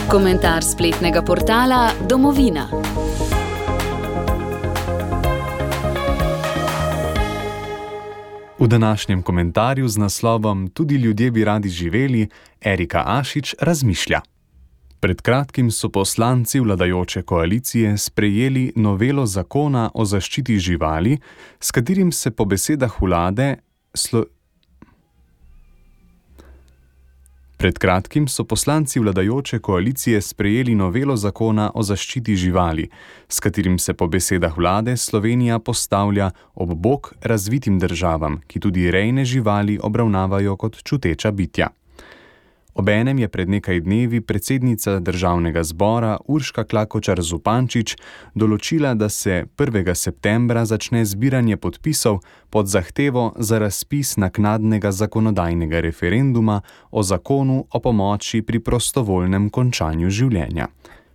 Komentar spletnega portala Domovina. V današnjem komentarju z naslovom Tudi ljudje bi radi živeli, Erika Ašič razmišlja. Pred kratkim so poslanci vladajoče koalicije sprejeli novelo zakona o zaščiti živali, s katerim se po besedah vlade Pred kratkim so poslanci vladajoče koalicije sprejeli novelo zakona o zaščiti živali, s katerim se po besedah vlade Slovenija postavlja ob bok razvitim državam, ki tudi rejne živali obravnavajo kot čuteča bitja. Obenem je pred nekaj dnevi predsednica Državnega zbora Urška Klakočar Zupančič določila, da se 1. septembra začne zbiranje podpisov pod zahtevo za razpis naknadnega zakonodajnega referenduma o zakonu o pomoči pri prostovoljnem končanju življenja.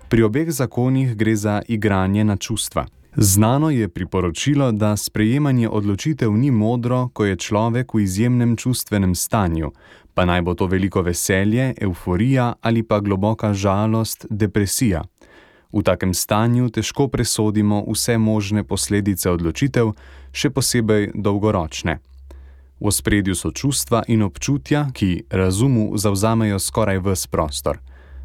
Pri obeh zakonih gre za igranje na čustva. Znano je priporočilo, da sprejemanje odločitev ni modro, ko je človek v izjemnem čustvenem stanju, pa naj bo to veliko veselje, evforija ali pa globoka žalost, depresija. V takem stanju težko presodimo vse možne posledice odločitev, še posebej dolgoročne. V ospredju so čustva in občutja, ki razumu zavzamejo skoraj ves prostor.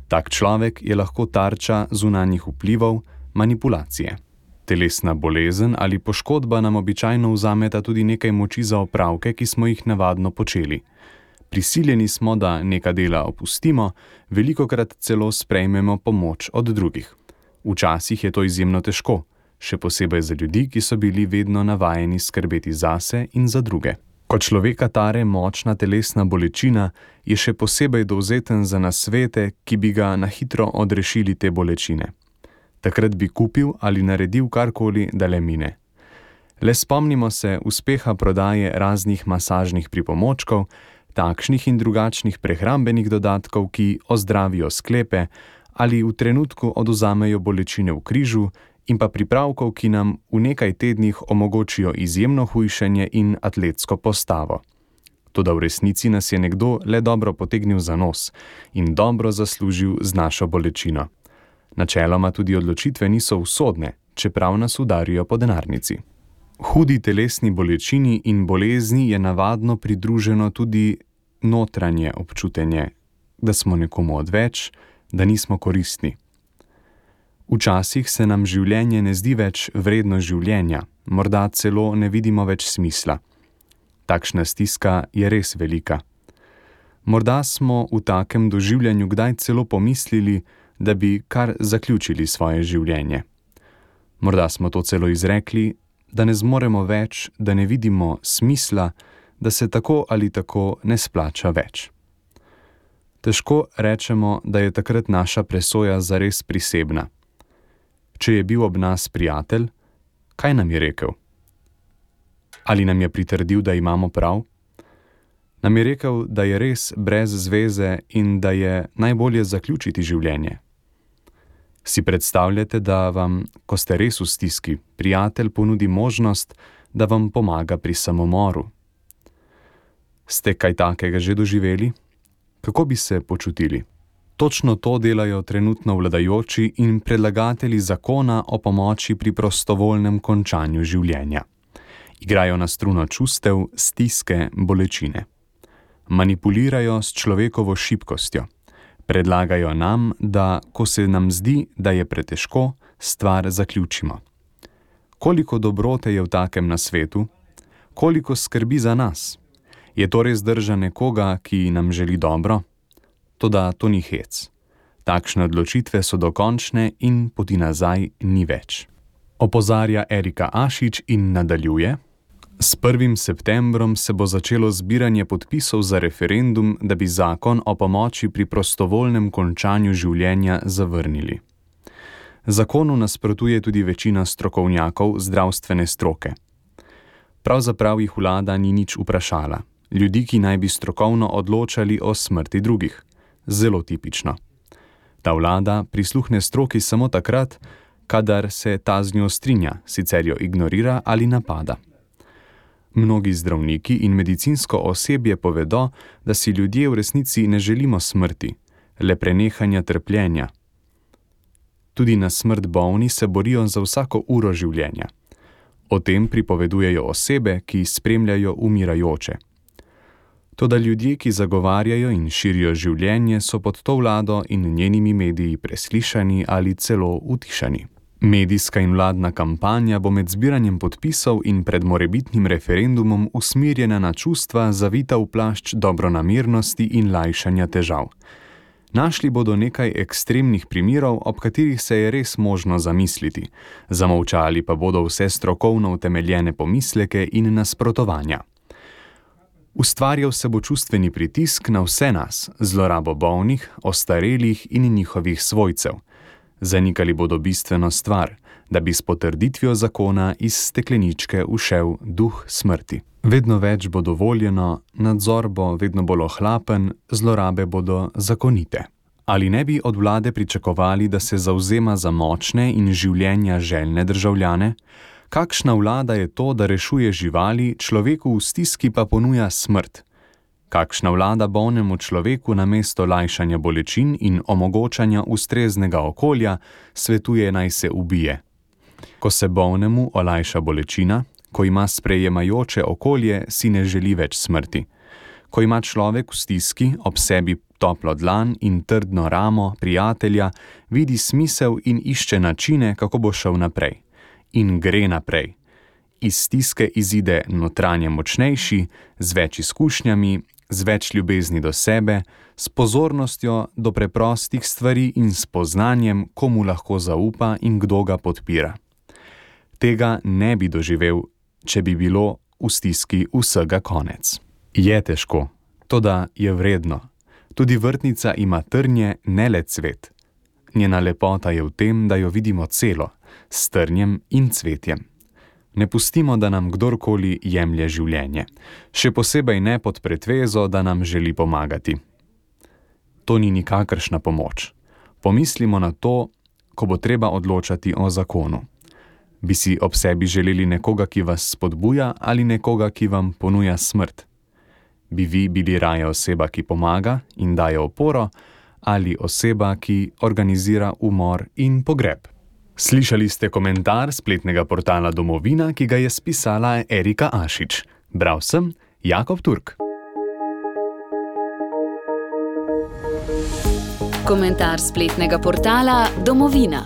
Tak človek je lahko tarča zunanjih vplivov, manipulacije. Telesna bolezen ali poškodba nam običajno vzameta tudi nekaj moči za opravke, ki smo jih navadno počeli. Prisiljeni smo, da neka dela opustimo, velikokrat celo sprejmemo pomoč od drugih. Včasih je to izjemno težko, še posebej za ljudi, ki so bili vedno navajeni skrbeti zase in za druge. Ko človeka tare močna telesna bolečina, je še posebej dovzeten za nasvete, ki bi ga na hitro odrešili te bolečine. Takrat bi kupil ali naredil karkoli, da le mine. Le spomnimo se uspeha prodaje raznih masažnih pripomočkov, takšnih in drugačnih prehrambenih dodatkov, ki ozdravijo sklepe ali v trenutku odvzamejo bolečine v križu, in pa pripravkov, ki nam v nekaj tednih omogočijo izjemno hujšanje in atletsko postavo. Toda v resnici nas je nekdo le dobro potegnil za nos in dobro zaslužil z našo bolečino. Načeloma tudi odločitve niso usodne, čeprav nas udarijo po denarnici. Hudi telesni bolečini in bolezni je navadno pridruženo tudi notranje občutenje, da smo nekomu odveč, da nismo koristni. Včasih se nam življenje ne zdi več vredno življenja, morda celo ne vidimo več smisla. Takšna stiska je res velika. Morda smo v takem doživljanju kdaj celo pomislili, da bi kar zaključili svoje življenje. Morda smo to celo izrekli, da ne zmoremo več, da ne vidimo smisla, da se tako ali tako ne splača več. Težko rečemo, da je takrat naša presoja zares prisebna. Če je bil ob nas prijatelj, kaj nam je rekel? Ali nam je pritrdil, da imamo prav? Nam je rekel, da je res brez zveze in da je najbolje zaključiti življenje. Si predstavljate, da vam, ko ste res v stiski, prijatelj ponudi možnost, da vam pomaga pri samomoru? Ste kaj takega že doživeli? Kako bi se počutili? Točno to delajo trenutno vladajoči in predlagatelji zakona o pomoči pri prostovoljnem končanju življenja. Igrajo na struno čustev, stiske, bolečine. Manipulirajo s človekovo šibkostjo. Predlagajo nam, da, ko se nam zdi, da je pretežko, stvar zaključimo. Koliko dobrote je v takem na svetu? Koliko skrbi za nas? Je to res drža nekoga, ki nam želi dobro? Toda to ni hec. Takšne odločitve so dokončne in poti nazaj ni več. Opozarja Erika Ašič in nadaljuje. S 1. septembrom se bo začelo zbiranje podpisov za referendum, da bi zakon o pomoči pri prostovoljnem končanju življenja zavrnili. Zakonu nasprotuje tudi večina strokovnjakov zdravstvene stroke. Pravzaprav jih vlada ni nič vprašala. Ljudi, ki naj bi strokovno odločali o smrti drugih. Zelo tipično. Ta vlada prisluhne stroki samo takrat, kadar se ta z njo strinja, sicer jo ignorira ali napada. Mnogi zdravniki in medicinsko osebje povedo, da si ljudje v resnici ne želimo smrti, le prenehanja trpljenja. Tudi na smrt bolni se borijo za vsako uro življenja. O tem pripovedujejo osebe, ki spremljajo umirajoče. Toda ljudje, ki zagovarjajo in širijo življenje, so pod to vlado in njenimi mediji preslišani ali celo utišani. Medijska in vladna kampanja bo med zbiranjem podpisov in pred morebitnim referendumom usmerjena na čustva, zavita v plašč dobronamernosti in lajšanja težav. Našli bodo nekaj ekstremnih primerov, ob katerih se je res možno zamisliti, zamolčali pa bodo vse strokovno utemeljene pomisleke in nasprotovanja. Ustvarjal se bo čustveni pritisk na vse nas, zlorabo bolnih, ostarelih in njihovih svojcev. Zanikali bodo bistveno stvar, da bi s potrditvijo zakona iz stekleničke ušel duh smrti. Vedno več bo dovoljeno, nadzor bo vedno bolj ohlapen, zlorabe bodo zakonite. Ali ne bi od vlade pričakovali, da se zavzema za močne in življenja željne državljane? Kakšna vlada je to, da rešuje živali, človeku v stiski pa ponuja smrt? Kakšna vlada bolnemu človeku namesto lajšanja bolečin in omogočanja ustreznega okolja svetuje, naj se ubije? Ko se bolnemu olajša bolečina, ko ima sprejemajoče okolje, si ne želi več smrti. Ko ima človek v stiski ob sebi toplo dlan in trdno ramo prijatelja, vidi smisel in išče načine, kako bo šel naprej. In gre naprej. Iz stiske izide notranje močnejši, z več izkušnjami, z več ljubezni do sebe, s pozornostjo do preprostih stvari in s poznanjem, komu lahko zaupa in kdo ga podpira. Tega ne bi doživel, če bi bilo v stiski vsega konec. Je težko, toda je vredno. Tudi vrtnica ima trnje, ne le cvet. Njena lepota je v tem, da jo vidimo celo, s trnjem in cvetjem. Ne pustimo, da nam kdorkoli jemlje življenje, še posebej ne pod pretvezo, da nam želi pomagati. To ni nikakršna pomoč. Pomislimo na to, ko bo treba odločati o zakonu. Bi si ob sebi želeli nekoga, ki vas spodbuja, ali nekoga, ki vam ponuja smrt? Bi vi bili raje oseba, ki pomaga in daje oporo, ali oseba, ki organizira umor in pogreb? Slišali ste komentar spletnega portala Domovina, ki ga je spisala Erika Ašič. Bral sem Jakob Turk. Komentar spletnega portala Domovina.